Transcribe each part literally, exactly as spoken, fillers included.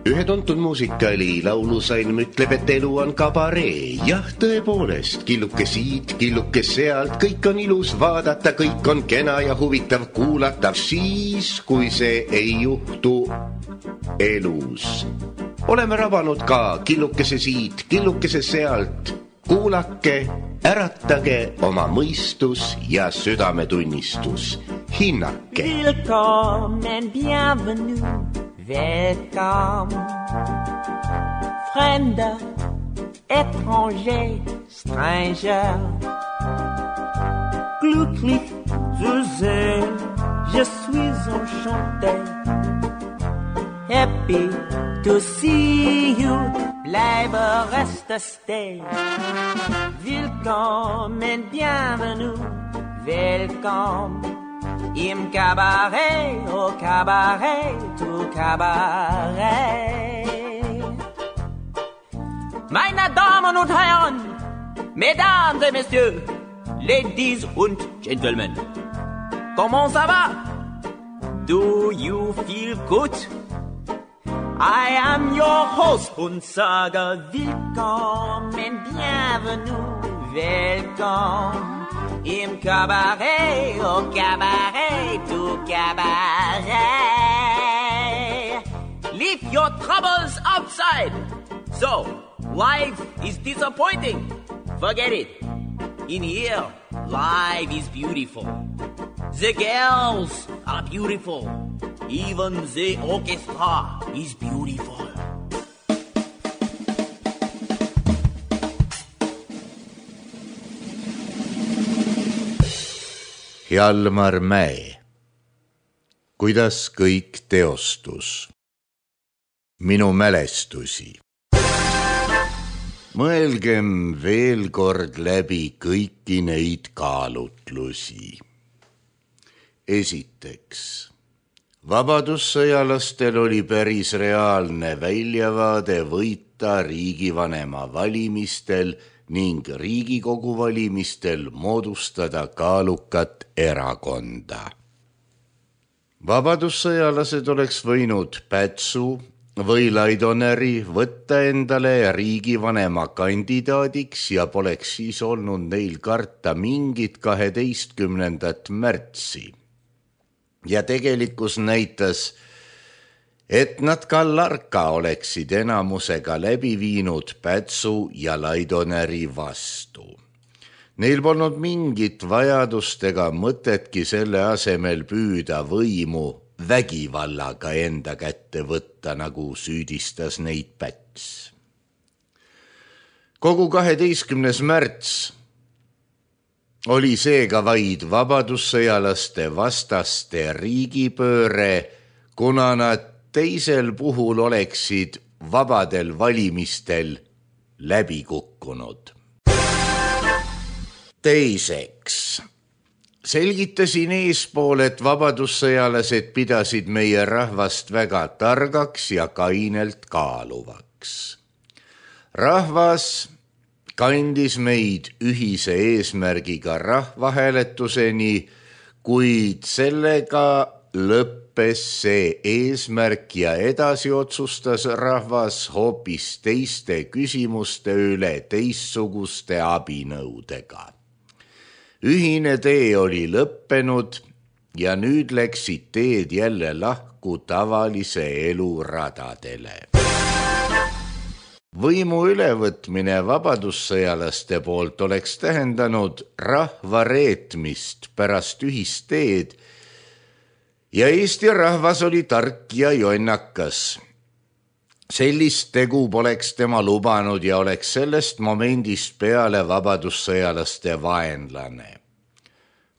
Ühe tuntud muusikali laulusalm ütleb, et elu on kabaree. Jah, tõepoolest, killuke siit, killuke sealt, kõik on ilus vaadata, kõik on kena ja huvitav kuulata, siis kui see ei juhtu elus. Oleme rabanud ka killukese siit, killukese sealt. Kuulake, äratage oma mõistus ja südametunnistus. Hinnake. Willkommen, bienvenue. Welcome, fremder, étranger, stranger. Glücklich zu sehen, je suis enchanté. Happy to see you, bleibe reste stay. Willkommen, bienvenue, welcome. Im Cabaret, au Cabaret, au Cabaret. Meine Damen und Herren, Mesdames et Messieurs, Ladies und Gentlemen, comment ça va? Do you feel good? I am your host und sage willkommen, bienvenue, welcome. Im Cabaret, au Cabaret, au Cabaret. Leave your troubles outside. So, life is disappointing. Forget it. In here, life is beautiful. The girls are beautiful. Even the orchestra is beautiful. Hjalmar Mäe. Kuidas kõik teostus? Minu mälestusi. Mõelgem veel kord läbi kõiki neid kaalutlusi. Esiteks, vabadussõjalastel oli päris reaalne väljavaade võita riigivanema valimistel ning Riigikogu valimistel moodustada kaalukat erakonda. Vabadussõjalased oleks võinud Pätsu või Laidoneri võtta endale riigivanema kandidaadiks ja poleks siis olnud neil karta mingit kaheteistkümnendat märtsi. Ja tegelikkus näitas, et nad ka Larka oleksid enamusega läbi viinud Pätsu ja Laidoneri vastu. Neil polnud mingit vajadust ega mõtetki selle asemel püüda võimu vägivallaga enda kätte võtta, nagu süüdistas neid Päts. Kogu kaheteistkümnes märts oli seega vaid vabadussõjalaste vastaste riigipööre, kuna nad teisel puhul oleksid vabadel valimistel läbi kukkunud. Teiseks, selgitasin eespool, et vabadussõjalased pidasid meie rahvast väga targaks ja kainelt kaaluvaks. Rahvas kandis meid ühise eesmärgiga rahvahääletuseni, kuid sellega lõppes see eesmärk ja edasi otsustas rahvas hoopis teiste küsimuste üle teistsuguste abinõudega. Ühine tee oli lõppenud ja nüüd läksid teed jälle lahku tavalise elu radadele. Võimu ülevõtmine vabadussõjalaste poolt oleks tähendanud rahva reetmist pärast ühist teed ja Eesti rahvas oli tark ja jonnakas. Sellist tegu poleks tema lubanud ja oleks sellest momendist peale vabadussõjalaste vaenlane.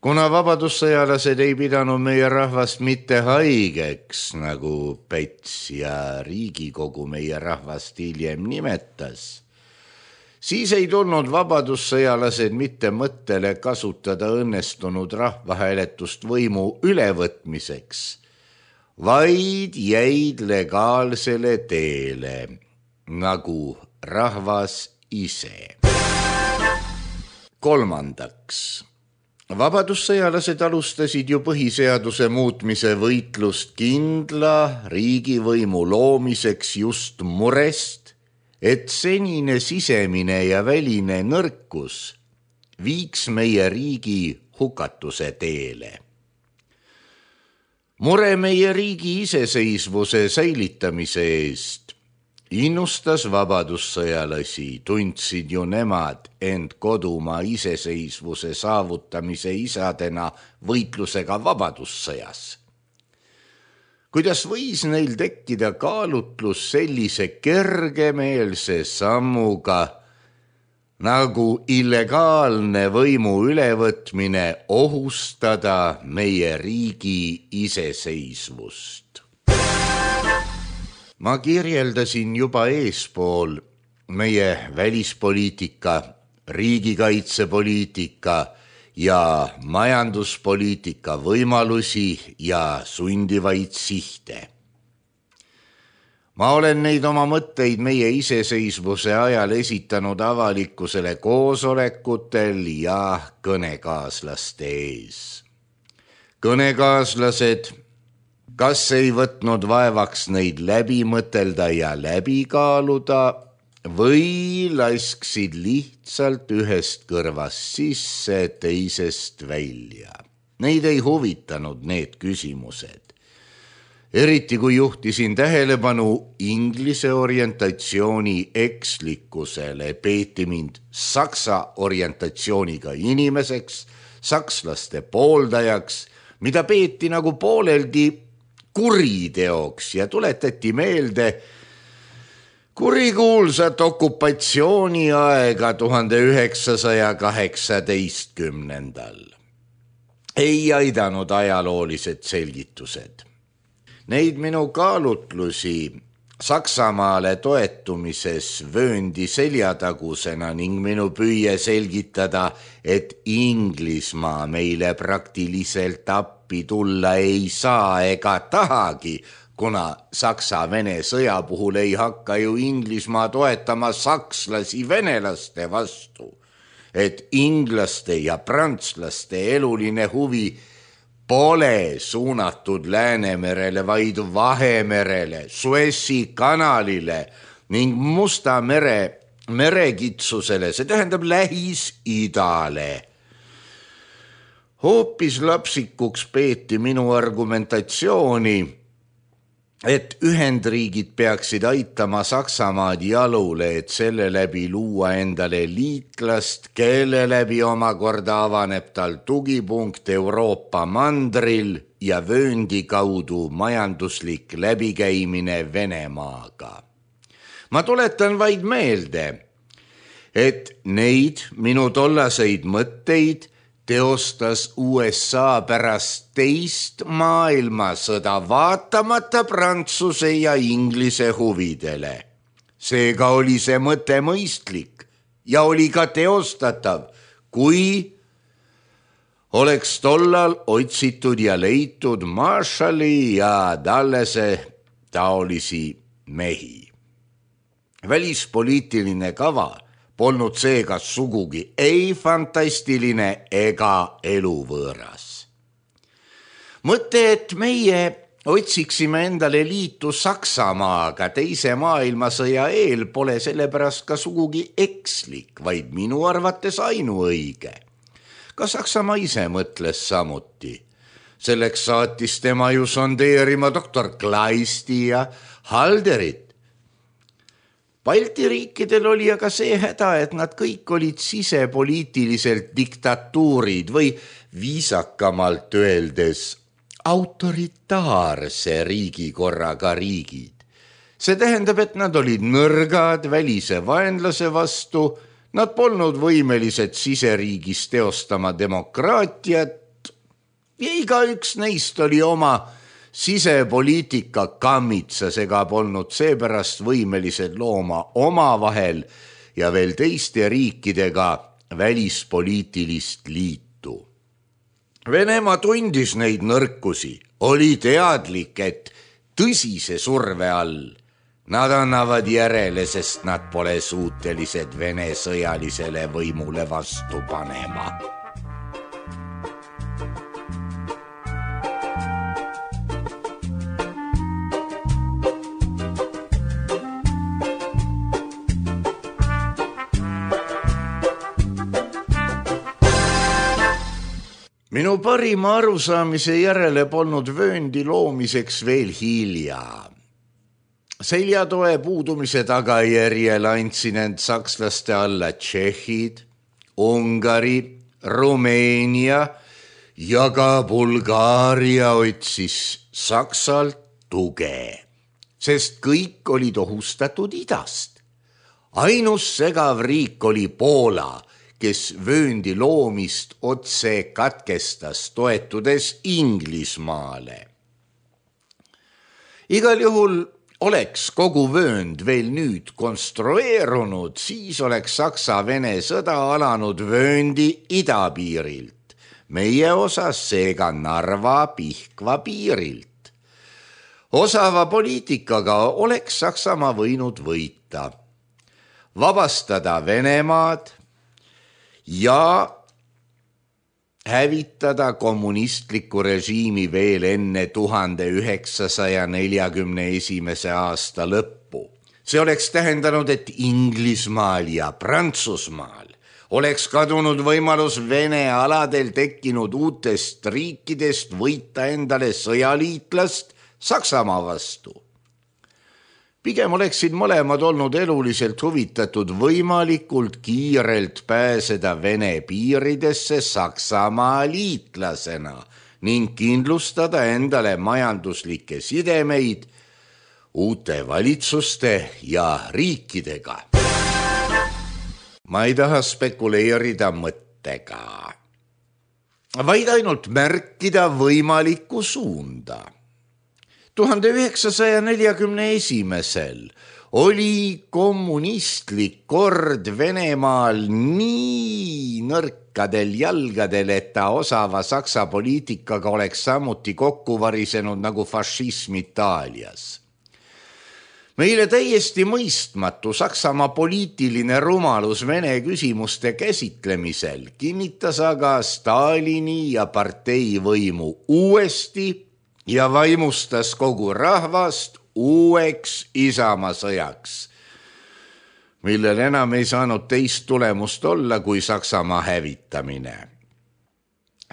Kuna vabadussõjalased ei pidanud meie rahvast mitte haigeks, nagu Päts ja Riigikogu meie rahvast hiljem nimetas, siis ei tulnud vabadussõjalased mitte mõttele kasutada õnnestunud rahvahääletust võimu ülevõtmiseks, vaid jäid legaalsele teele, nagu rahvas ise. Kolmandaks, Vabadussõjalased alustasid ju põhiseaduse muutmise võitlust kindla riigivõimu loomiseks just murest, et senine sisemine ja väline nõrkus viiks meie riigi hukatuse teele. Mure meie riigi iseseisvuse säilitamise eest innustas vabadussõjalasi, tundsid ju nemad end kodumaa iseseisvuse saavutamise isadena võitlusega vabadussõjas. Kuidas võis neil tekkida kaalutlus sellise kergemeelse sammuga, nagu illegaalne võimu ülevõtmine ohustada meie riigi iseseisvust? Ma kirjeldasin juba eespool meie välispoliitika, riigikaitsepoliitika ja majanduspoliitika võimalusi ja sundivaid sihte. Ma olen neid oma mõtteid meie iseseisvuse ajal esitanud avalikkusele koosolekutel ja kõnekaaslaste ees. Kõnekaaslased kas ei võtnud vaevaks neid läbi mõtelda ja läbi kaaluda või lasksid lihtsalt ühest kõrvast sisse, teisest välja. Neid ei huvitanud need küsimused. Eriti kui juhtisin tähelepanu inglise orientatsiooni ekslikkusele, peeti mind saksa orientatsiooniga inimeseks, sakslaste pooldajaks, mida peeti nagu pooleldi kuriteoks ja tuletati meelde kurikuulsat okupatsiooniaega tuhande üheksasaja kaheksateistkümnendal. Ei aidanud ajaloolised selgitused. Neid minu kaalutlusi Saksamaale toetumises vööndi seljatagusena ning minu püüe selgitada, et Inglismaa meile praktiliselt appi tulla ei saa ega tahagi, kuna Saksa-Vene sõja puhul ei hakka ju Inglismaa toetama sakslasi venelaste vastu, et inglaste ja prantslaste eluline huvi pole suunatud Läänemerele, vaid Vahemerele, Suessi kanalile ning Musta mere merekitsusele, see tähendab Lähis-Idale. Hoopis lapsikuks peeti minu argumentatsiooni, et Ühendriigid peaksid aitama Saksamaad jalule, et selle läbi luua endale liitlast, kelle läbi omakorda avaneb tal tugipunkt Euroopa mandril ja vööndi kaudu majanduslik läbikäimine Venemaaga. Ma tuletan vaid meelde, et neid minu tollaseid mõtteid teostas U S A pärast teist maailmasõda vaatamata Prantsuse ja Inglise huvidele. Seega oli see mõte mõistlik ja oli ka teostatav, kui oleks tollal otsitud ja leitud Marshalli ja Dallese taolisi mehi. Välispoliitiline kava polnud seega sugugi ei fantastiline ega eluvõõras. Mõte, et meie otsiksime endale liitu Saksamaaga teise maailmasõja eel, pole sellepärast ka sugugi ekslik, vaid minu arvates ainuõige. Ka Saksamaa ise mõtles samuti. Selleks saatis tema ju sondeerima doktor Kleisti ja Halderit. Balti riikidel oli aga see häda, et nad kõik olid sisepoliitiliselt diktatuurid või viisakamalt öeldes autoritaarse riigikorraga riigid. See tähendab, et nad olid nõrgad välise vaenlase vastu, nad polnud võimelised siseriigis teostama demokraatiat ja igaüks neist oli oma sisepoliitika kammitsas ega polnud seepärast võimelised looma omavahel ja veel teiste riikidega välispoliitilist liitu. Venemaa tundis neid nõrkusi, oli teadlik, et tõsise surve all nad annavad järele, sest nad pole suutelised Vene sõjalisele võimule vastu panema. Minu parima arusaamise järele polnud vööndi loomiseks veel hilja. Seljatoe puudumise tagajärjel andsin end sakslaste alla Tšehhid, Ungari, Rumeenia ja ka Bulgaaria otsis Saksalt tuge, sest kõik olid ohustatud idast. Ainus segav riik oli Poola, kes vööndi loomist otse katkestas, toetudes Inglismaale. Igal juhul oleks kogu vöönd veel nüüd konstrueerunud, siis oleks Saksa-Vene sõda alanud vööndi idapiirilt, meie osas seega Narva-Pihkva piirilt. Osava poliitikaga oleks Saksamaa võinud võita, vabastada Venemaad ja hävitada kommunistliku režiimi veel enne tuhande üheksasaja neljakümne esimese aasta lõppu. See oleks tähendanud, et Inglismaal ja Prantsusmaal oleks kadunud võimalus Vene aladel tekkinud uutest riikidest võita endale sõjaliitlast Saksamaa vastu. Pigem oleksid mõlemad olnud eluliselt huvitatud võimalikult kiirelt pääseda Vene piiridesse Saksamaa liitlasena ning kindlustada endale majanduslikke sidemeid uute valitsuste ja riikidega. Ma ei taha spekuleerida mõttega, vaid ainult märkida võimalikku suunda. tuhande üheksasaja neljakümne esimesel oli kommunistlik kord Venemaal nii nõrkadel jalgadel, et ta osava Saksa poliitikaga oleks samuti kokku varisenud nagu fašism Itaalias. Meile täiesti mõistmatu Saksamaa poliitiline rumalus Vene küsimuste käsitlemisel kinnitas aga Stalini ja partei võimu uuesti ja vaimustas kogu rahvast uueks isamasõjaks, millel enam ei saanud teist tulemust olla kui Saksamaa hävitamine.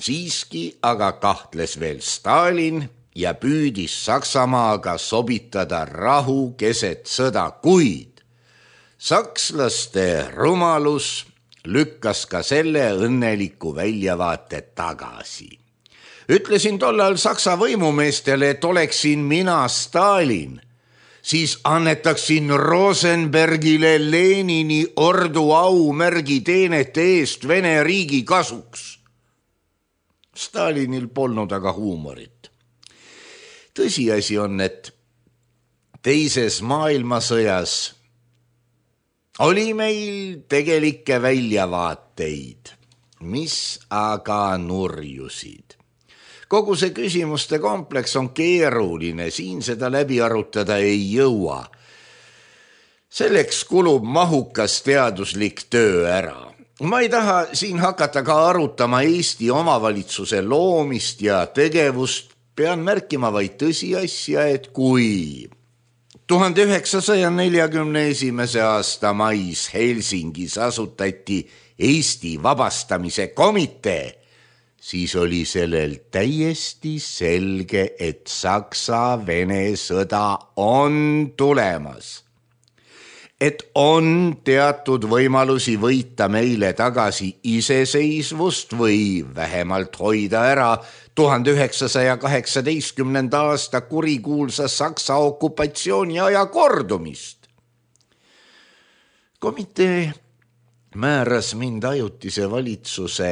Siiski aga kahtles veel Stalin ja püüdis Saksamaaga sobitada rahu keset sõda, kuid sakslaste rumalus lükkas ka selle õnneliku väljavaate tagasi. Ütlesin tollal Saksa võimumeestele, et oleksin mina Stalin, siis annetaksin Rosenbergile Lenini ordu aumärgi teenete eest Vene riigi kasuks. Stalinil polnud aga huumorit. Tõsiasi on, et teises maailmasõjas oli meil tegelikke väljavaateid, mis aga nurjusid. Kogu see küsimuste kompleks on keeruline, siin seda läbi arutada ei jõua. Selleks kulub mahukas teaduslik töö ära. Ma ei taha siin hakata ka arutama Eesti omavalitsuse loomist ja tegevust, pean märkima vaid tõsiasja, et kui tuhande üheksasaja neljakümne esimese aasta mais Helsingis asutati Eesti vabastamise komitee, siis oli sellel täiesti selge, et Saksa-Vene sõda on tulemas. Et on teatud võimalusi võita meile tagasi iseseisvust või vähemalt hoida ära tuhande üheksasaja kaheksateistkümnenda aasta kurikuulsa Saksa okupatsiooni aja kordumist. Komitee määras mind ajutise valitsuse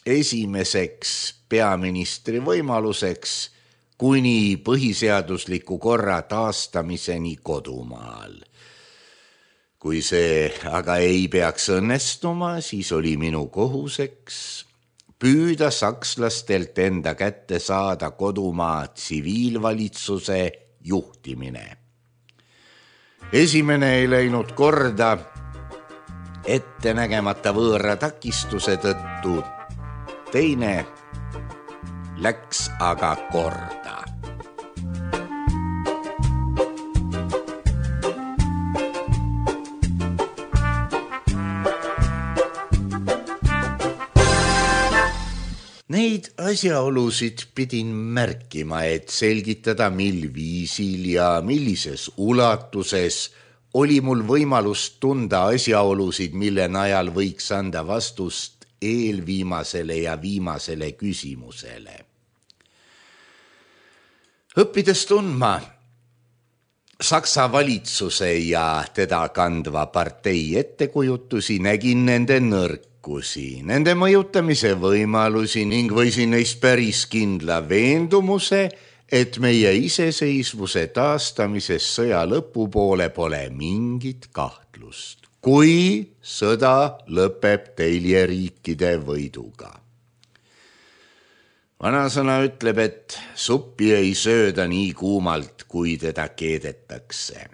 esimeseks peaministri võimaluseks kuni põhiseadusliku korra taastamiseni kodumaal. Kui see aga ei peaks õnnestuma, siis oli minu kohuseks püüda sakslastelt enda kätte saada kodumaa tsiviilvalitsuse juhtimine. Esimene ei läinud korda ettenägemata võõra takistuse tõttu, teine läks aga korda. Neid asjaolusid pidin märkima, et selgitada, mil viisil ja millises ulatuses oli mul võimalus tunda asjaolusid, mille najal võiks anda vastust eelviimasele ja viimasele küsimusele. Õppides tundma Saksa valitsuse ja teda kandva partei ettekujutusi, nägin nende nõrkusi, nende mõjutamise võimalusi ning võisin neist päris kindla veendumuse, et meie iseseisvuse taastamises sõja lõpupoole pole mingit kahtlust, kui sõda lõpeb teljeriikide võiduga. Vanasõna ütleb, et suppi ei sööda nii kuumalt, kui teda keedetakse.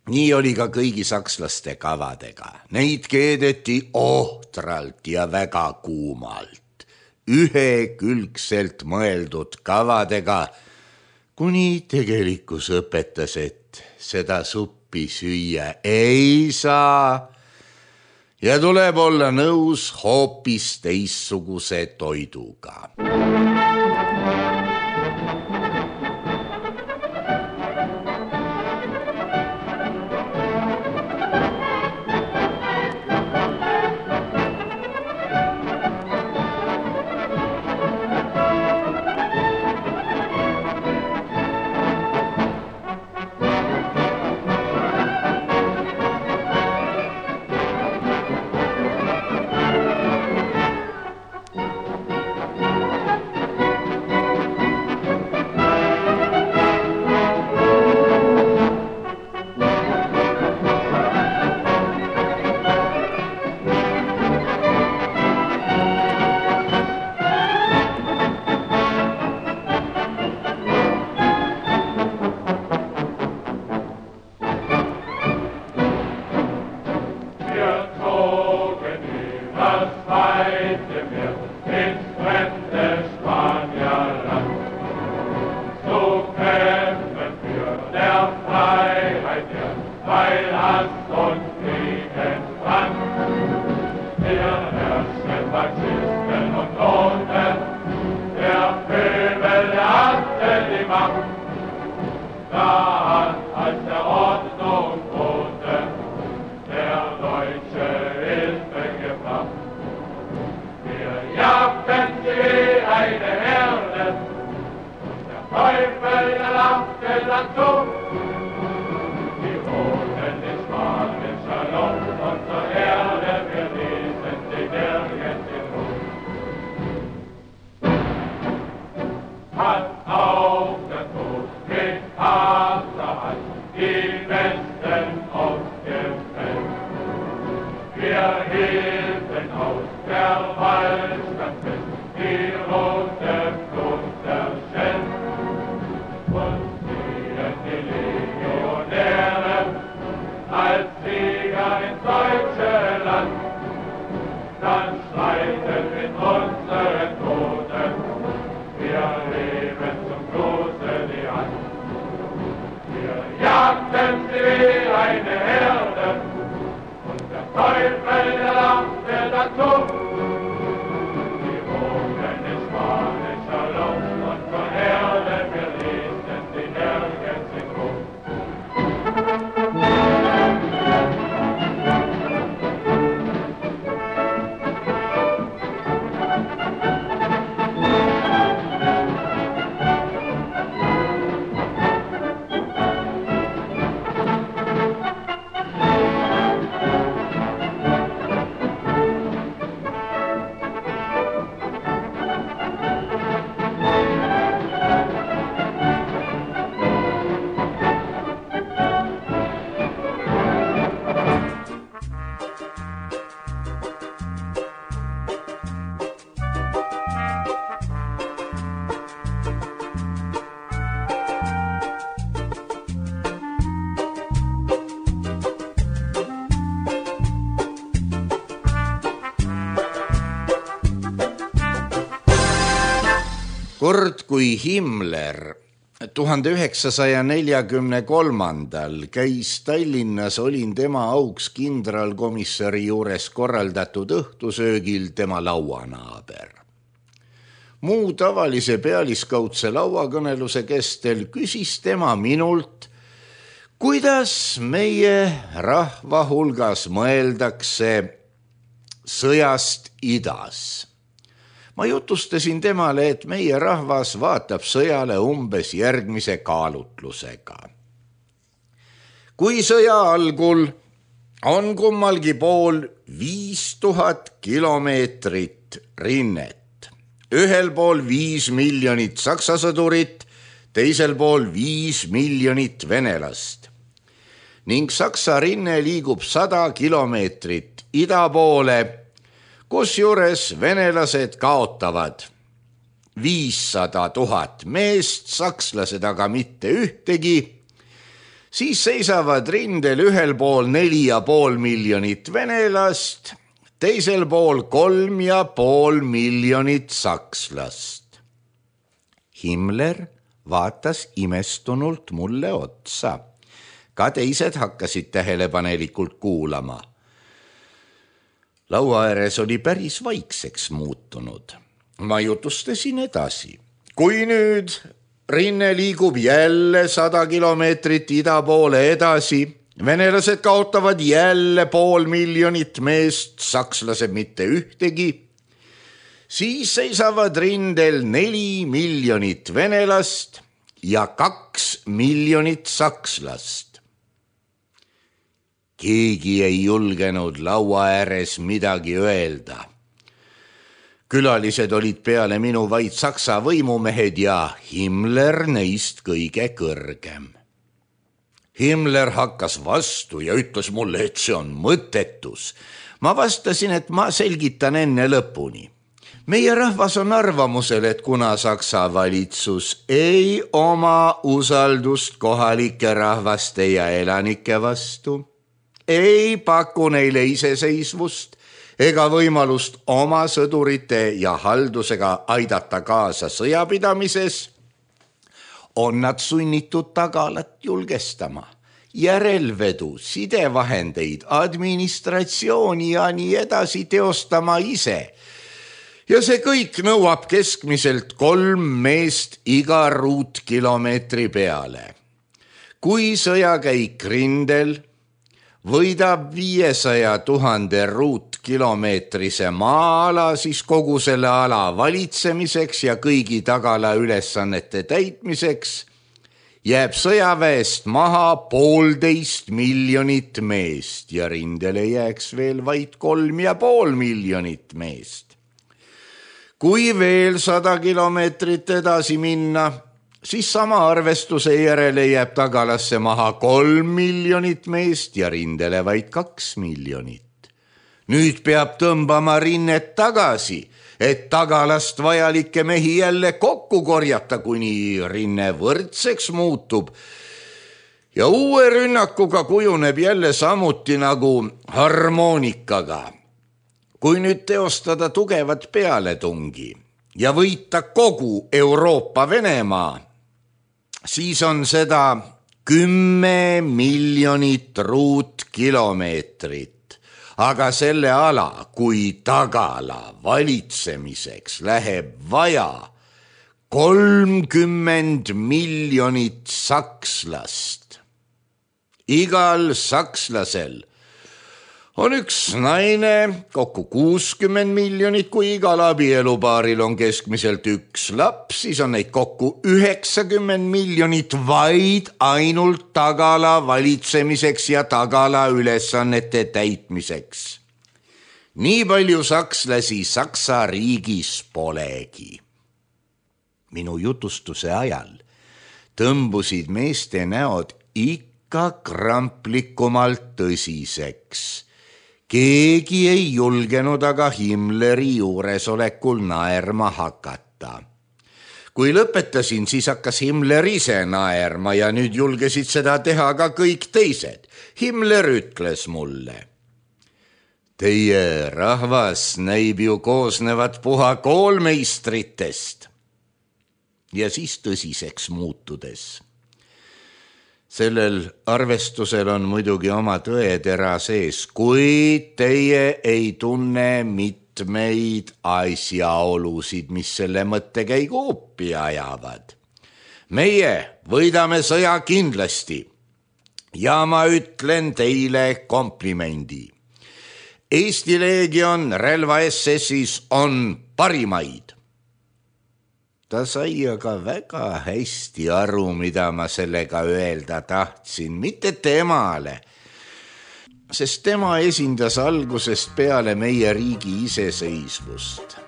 Nii oli ka kõigi sakslaste kavadega. Neid keedeti ohtralt ja väga kuumalt, ühekülgselt mõeldud kavadega, kuni tegelikkus õpetas, et seda suppi süüa ei saa ja tuleb olla nõus hoopis teistsuguse toiduga. Kord kui Himmler tuhande üheksasaja neljakümne kolmandal käis Tallinnas, olin tema auks kindralkomissari juures korraldatud õhtusöögil tema lauanaaber. muu tavalise pealiskaudse lauakõneluse kestel küsis tema minult, kuidas meie rahva hulgas mõeldakse sõjast idas. Ma jutustasin temale, et meie rahvas vaatab sõjale umbes järgmise kaalutlusega. Kui sõja algul on kummalgi pool viis tuhat kilomeetrit rinnet, ühel pool viis miljonit saksa sõdurit, teisel pool viis miljonit venelast ning saksa rinne liigub sada kilomeetrit ida poole, kusjuures venelased kaotavad viissada tuhat meest, sakslased aga mitte ühtegi, siis seisavad rindel ühel pool neli ja pool miljonit venelast, teisel pool kolm ja pool miljonit sakslast. Himmler vaatas imestunult mulle otsa. Ka teised hakkasid tähelepanelikult kuulama. Laua ääres oli päris vaikseks muutunud. Ma jutustasin edasi. Kui nüüd rinne liigub jälle sada kilomeetrit ida poole edasi, venelased kaotavad jälle pool miljonit meest, sakslased mitte ühtegi, siis seisavad rindel neli miljonit venelast ja kaks miljonit sakslast. Keegi ei julgenud laua ääres midagi öelda. Külalised olid peale minu vaid saksa võimumehed ja Himmler neist kõige kõrgem. Himmler hakkas vastu ja ütles mulle, et see on mõttetus. Ma vastasin, et ma selgitan enne lõpuni. Meie rahvas on arvamusel, et kuna Saksa valitsus ei oma usaldust kohalike rahvaste ja elanike vastu, ei paku neile iseseisvust ega võimalust oma sõdurite ja haldusega aidata kaasa sõjapidamises, on nad sunnitud tagalat julgestama, järelvedu, sidevahendeid, administratsiooni ja nii edasi teostama ise. Ja see kõik nõuab keskmiselt kolm meest iga ruutkilomeetri peale. Kui sõjakäik rindel võidab viiesaja tuhande ruutkilomeetrise maa-ala, siis kogu selle ala valitsemiseks ja kõigi tagala ülesannete täitmiseks jääb sõjaväest maha poolteist miljonit meest ja rindele jääks veel vaid kolm ja pool miljonit meest. Kui veel sada kilomeetrit edasi minna, siis sama arvestuse järele jääb tagalasse maha kolm miljonit meest ja rindele vaid kaks miljonit. Nüüd peab tõmbama rinnet tagasi, et tagalast vajalikke mehi jälle kokku korjata, kuni rinne võrdseks muutub. Ja uue rünnakuga kujuneb jälle samuti nagu harmoonikaga. Kui nüüd teostada tugevat pealetungi ja võita kogu Euroopa Venemaa, siis on seda kümme miljonit ruutkilomeetrit, aga selle ala kui tagala valitsemiseks läheb vaja kolmkümmend miljonit sakslast. Igal sakslasel on üks naine, kokku kuuskümmend miljonit, kui igal abielupaaril on keskmiselt üks laps, siis on neid kokku üheksakümmend miljonit vaid ainult tagala valitsemiseks ja tagala ülesannete täitmiseks. Nii palju sakslasi Saksa riigis polegi. Minu jutustuse ajal tõmbusid meeste näod ikka kramplikumalt tõsiseks. Keegi ei julgenud aga Himmleri juuresolekul naerma hakata. Kui lõpetasin, siis hakkas Himmler ise naerma ja nüüd julgesid seda teha ka kõik teised. Himmler ütles mulle: Teie rahvas näib ju koosnevat puha koolmeistritest. Ja siis tõsiseks muutudes. Sellel arvestusel on muidugi oma tõetera sees, kuid teie ei tunne mitte mitmeid asjaolusid, mis selle mõttekäigu uppi ajavad. Meie võidame sõja kindlasti ja ma ütlen teile komplimendi. Eesti Leegion relva S S-is on parimaid. Ta sai aga väga hästi aru, mida ma sellega öelda tahtsin, mitte temale, sest tema esindas algusest peale meie riigi iseseisvust.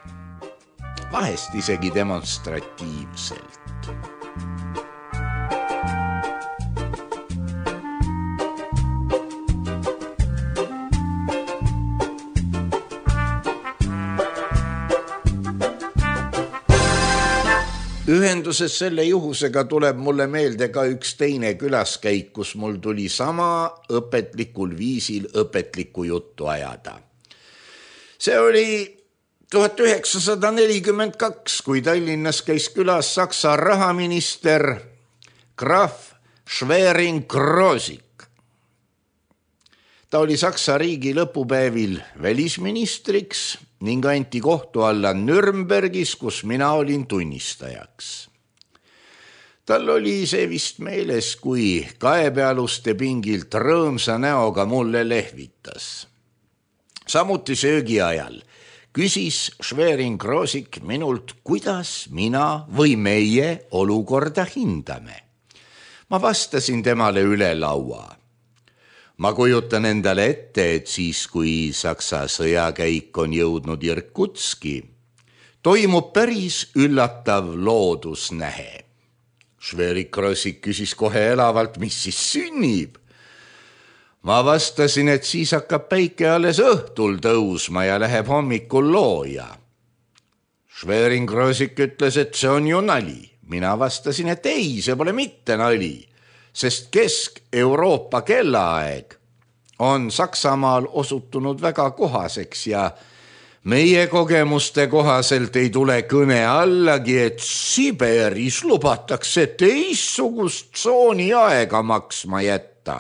Vahest isegi demonstratiivselt. Ühenduses selle juhusega tuleb mulle meelde ka üks teine külaskäik, kus mul tuli sama õpetlikul viisil õpetlikku juttu ajada. See oli tuhat üheksasada nelikümmend kaks, kui Tallinnas käis külas Saksa rahaminister Graf Schwerin-Krosigk. Ta oli Saksa riigi lõpupäevil välisministriks ning anti kohtu alla Nürnbergis, kus mina olin tunnistajaks. Tal oli see vist meeles, kui kaebealuste pingilt rõõmsa näoga mulle lehvitas. Samuti söögi ajal küsis Schwerin-Krosigk minult, kuidas mina või meie olukorda hindame. Ma vastasin temale üle laua. Ma kujutan endale ette, et siis, kui Saksa sõjakäik on jõudnud Irkutski, toimub päris üllatav loodusnähe. Schwerin-Krosigk küsis kohe elavalt, mis siis sünnib. Ma vastasin, et siis hakkab päike alles õhtul tõusma ja läheb hommikul looja. Schwerin-Krosigk ütles, et see on ju nali. Mina vastasin, et ei, see pole mitte nali, sest Kesk-Euroopa kellaaeg on Saksamaal osutunud väga kohaseks ja meie kogemuste kohaselt ei tule kõne allagi, et Siberis lubatakse teistsugust tsooni aega maksma jätta.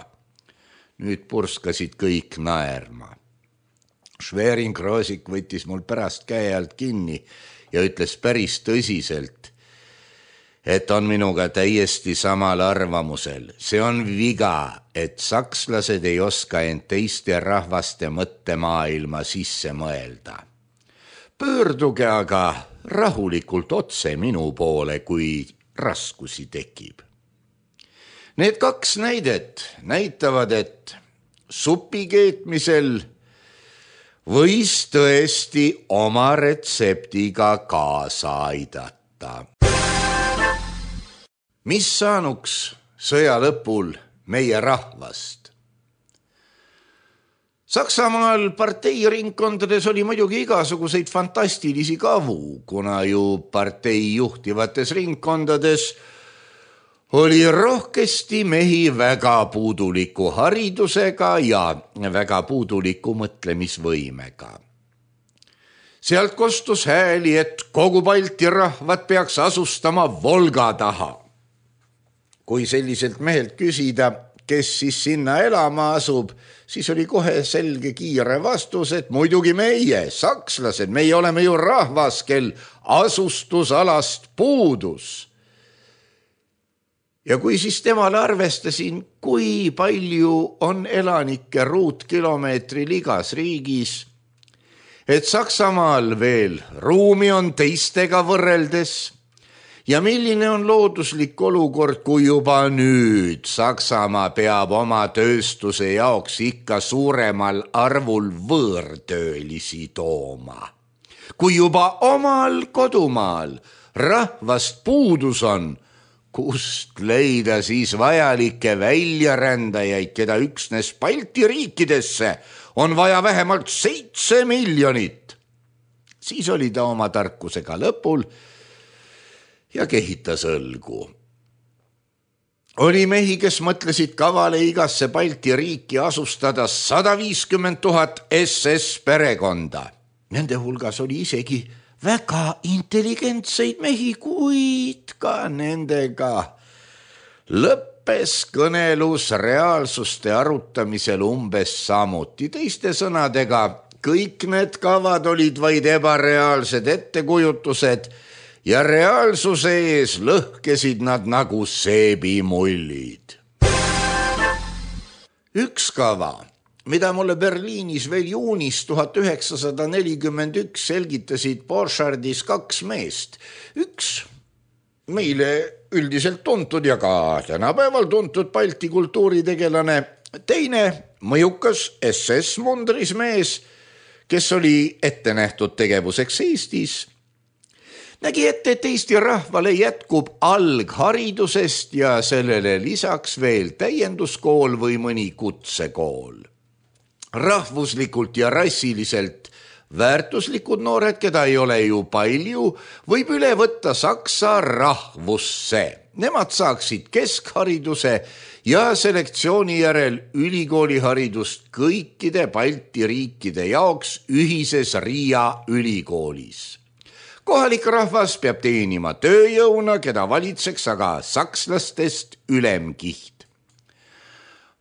Nüüd purskasid kõik naerma. Schwerin-Krosigk võttis mul pärast käe alt kinni ja ütles päris tõsiselt, et on minuga täiesti samal arvamusel. See on viga, et sakslased ei oska end teiste rahvaste mõttemaailma sisse mõelda. Pöörduge aga rahulikult otse minu poole, kui raskusi tekib. Need kaks näidet näitavad, et supi keetmisel võis tõesti oma retseptiga kaasa aidata. Mis saanuks sõja lõpul meie rahvast? Saksamaal parteiringkondades oli muidugi igasuguseid fantastilisi kavu, kuna ju partei juhtivates ringkondades oli rohkesti mehi väga puuduliku haridusega ja väga puuduliku mõtlemisvõimega. Sealt kostus hääli, et kogu Balti rahvad peaks asustama Volga taha. Kui selliselt mehelt küsida, kes siis sinna elama asub, siis oli kohe selge kiire vastus, et muidugi meie, sakslased, meie oleme ju rahvas, kel asustusalast puudus. Ja kui siis temale arvestasin, kui palju on elanikke ruutkilomeetril igas riigis, et Saksamaal veel ruumi on teistega võrreldes, ja milline on looduslik olukord, kui juba nüüd Saksamaa peab oma tööstuse jaoks ikka suuremal arvul võõrtöölisi tooma. Kui juba omal kodumaal rahvast puudus on, kust leida siis vajalikke väljarändajaid, keda üksnes Balti riikidesse on vaja vähemalt seitse miljonit. Siis oli ta oma tarkusega lõpul ja kehitas õlgu. Oli mehi, kes mõtlesid kavale igasse Balti riiki asustada sada viiskümmend tuhat S S perekonda. Nende hulgas oli isegi väga intelligentseid mehi, kuid ka nendega lõppes kõnelus reaalsuste arutamisel umbes samuti. Teiste sõnadega, kõik need kavad olid vaid ebareaalsed ettekujutused ja reaalsuse ees lõhkesid nad nagu seebimullid. Üks kava, mida mulle Berliinis veel juunis tuhat üheksasada nelikümmend üks selgitasid Borchardis kaks meest. Üks meile üldiselt tuntud ja ka tänapäeval tuntud Balti kultuuritegelane, teine mõjukas S S mundris mees, kes oli ette nähtud tegevuseks Eestis, nägi ette, et Eesti rahvale jätkub algharidusest ja sellele lisaks veel täienduskool või mõni kutsekool. Rahvuslikult ja rassiliselt väärtuslikud noored, keda ei ole ju palju, võib üle võtta saksa rahvusse. Nemad saaksid keskhariduse ja selektsiooni järel ülikooliharidust kõikide Balti riikide jaoks ühises Riia ülikoolis. Kohalik rahvas peab teenima tööjõuna, keda valitseks aga sakslastest ülemkiht.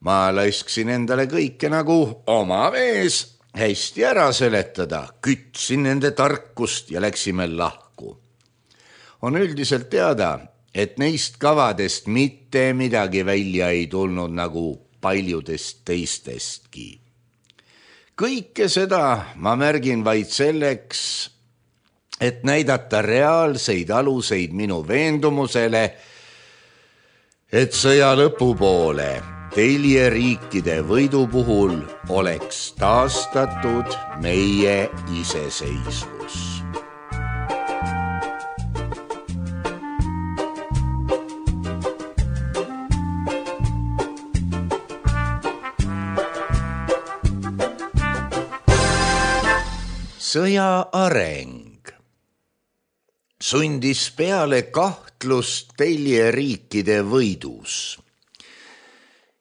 Ma laisksin endale kõike nagu oma mees hästi ära seletada, kütsin nende tarkust ja läksime lahku. On üldiselt teada, et neist kavadest mitte midagi välja ei tulnud nagu paljudest teistestki. Kõike seda ma märgin vaid selleks, et näidata reaalseid aluseid minu veendumusele, et sõja lõpupoole Telje riikide võidu puhul oleks taastatud meie iseseisvus. Sõja areng sundis peale kahtlust Telje riikide võidus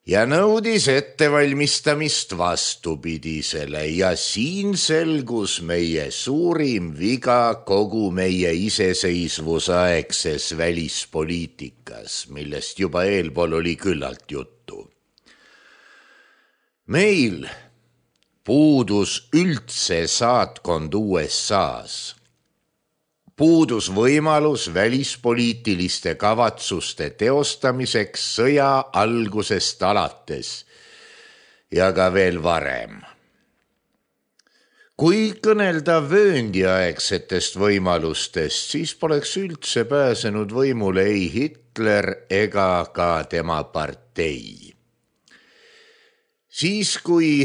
ja nõudis ettevalmistamist vastupidisele ja siin selgus meie suurim viga kogu meie iseseisvusaegses välispoliitikas, millest juba eelpool oli küllalt juttu. Meil puudus üldse saatkond U S A-s. Puudus võimalus välispoliitiliste kavatsuste teostamiseks sõja algusest alates ja ka veel varem. Kui kõnelda vööndiaegsetest võimalustest, siis poleks üldse pääsenud võimule ei Hitler ega ka tema partei. Siis, kui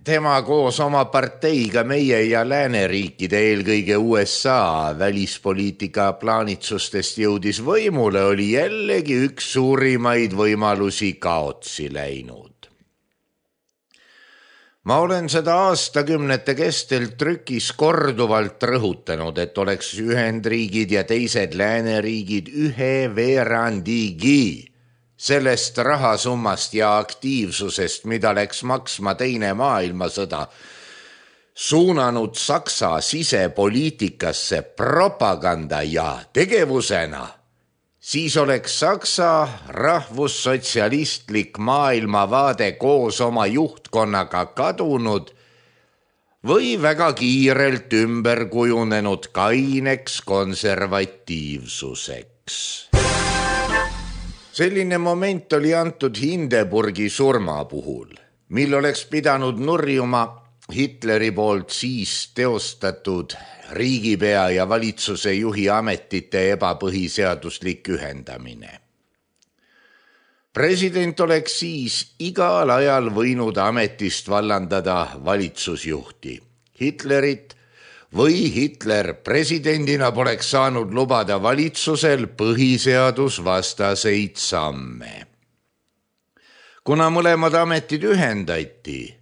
tema koos oma parteiga meie ja lääneriikide, eelkõige U S A välispoliitika plaanitsustest jõudis võimule, oli jällegi üks suurimaid võimalusi kaotsi läinud. Ma olen seda aastakümnete kestel trükis korduvalt rõhutanud, et oleks Ühendriigid ja teised lääneriigid ühe veerandigi sellest rahasummast ja aktiivsusest, mida läks maksma teine maailmasõda, suunanud Saksa sisepoliitikasse propaganda ja tegevusena, siis oleks Saksa rahvussotsialistlik maailmavaade koos oma juhtkonnaga kadunud või väga kiirelt ümber kujunenud kaineks konservatiivsuseks. Selline moment oli antud Hindenburgi surma puhul, mil oleks pidanud nurjuma Hitleri poolt siis teostatud riigipea ja valitsuse juhi ametite ebapõhiseaduslik ühendamine. President oleks siis igal ajal võinud ametist vallandada valitsusjuhti, Hitlerit, või Hitler presidendina poleks saanud lubada valitsusel põhiseadusvastaseid samme. Kuna mõlemad ametid ühendati,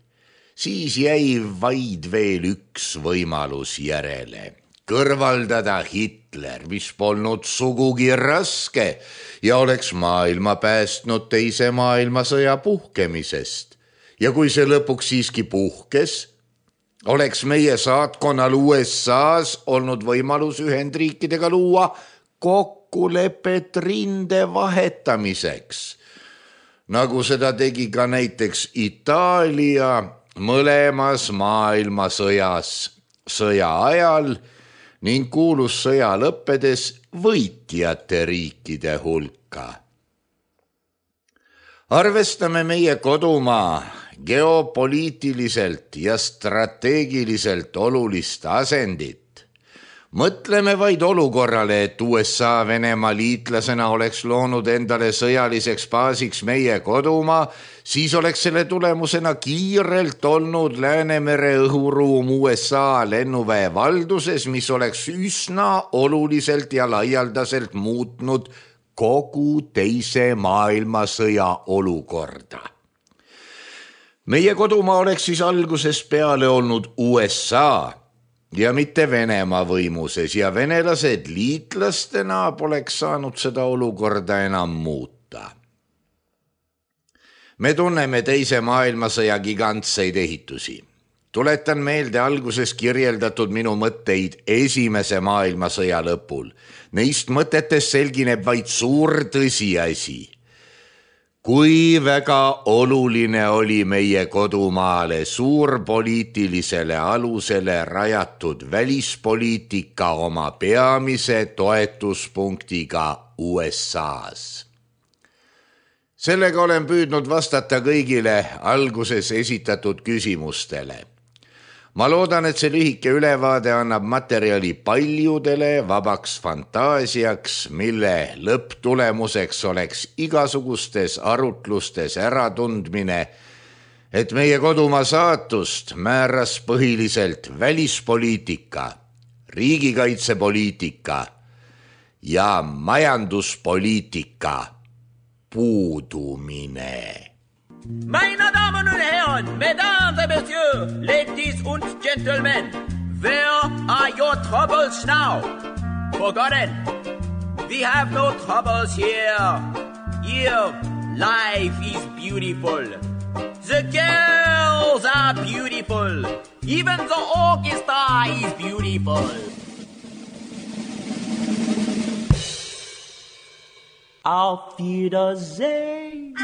siis jäi vaid veel üks võimalus järele. Kõrvaldada Hitler, mis polnud sugugi raske ja oleks maailma päästnud teise maailmasõja puhkemisest. Ja kui see lõpuks siiski puhkes, oleks meie saatkonnal U S A-s olnud võimalus Ühendriikidega luua kokkulepet rinde vahetamiseks, nagu seda tegi ka näiteks Itaalia mõlemas maailmasõjas sõja ajal ning kuulus sõja lõppedes võitjate riikide hulka. Arvestame meie kodumaa geopoliitiliselt ja strateegiliselt olulist asendit. Mõtleme vaid olukorrale, et U S A Venemaa liitlasena oleks loonud endale sõjaliseks baasiks meie kodumaa, siis oleks selle tulemusena kiirelt olnud Läänemere õhuruum U S A lennuväe valduses, mis oleks üsna oluliselt ja laialdaselt muutnud kogu teise maailmasõja olukorda. Meie kodumaa oleks siis algusest peale olnud U S A ja mitte Venemaa võimuses ja venelased liitlastena poleks saanud seda olukorda enam muuta. Me tunneme teise maailmasõja gigantseid ehitusi. Tuletan meelde alguses kirjeldatud minu mõtteid esimese maailmasõja lõpul. Neist mõtetest selgineb vaid suur tõsiasi. Kui väga oluline oli meie kodumaale suurpoliitilisele alusele rajatud välispoliitika oma peamise toetuspunktiga U S A-s. Sellega olen püüdnud vastata kõigile alguses esitatud küsimustele. Ma loodan, et see lühike ülevaade annab materjali paljudele vabaks fantaasiaks, mille lõpptulemuseks oleks igasugustes arutlustes äratundmine, et meie kodumaa saatust määras põhiliselt välispoliitika, riigikaitsepoliitika ja majanduspoliitika puudumine. Meine Damen und Herren, Mesdames et Messieurs, ladies und gentlemen, where are your troubles now? Forgotten. We have no troubles here. Here, life is beautiful. The girls are beautiful. Even the orchestra is beautiful. Auf Wiedersehen.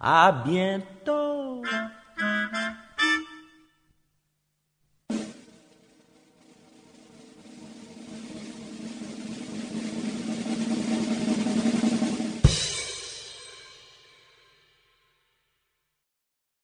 À bientôt.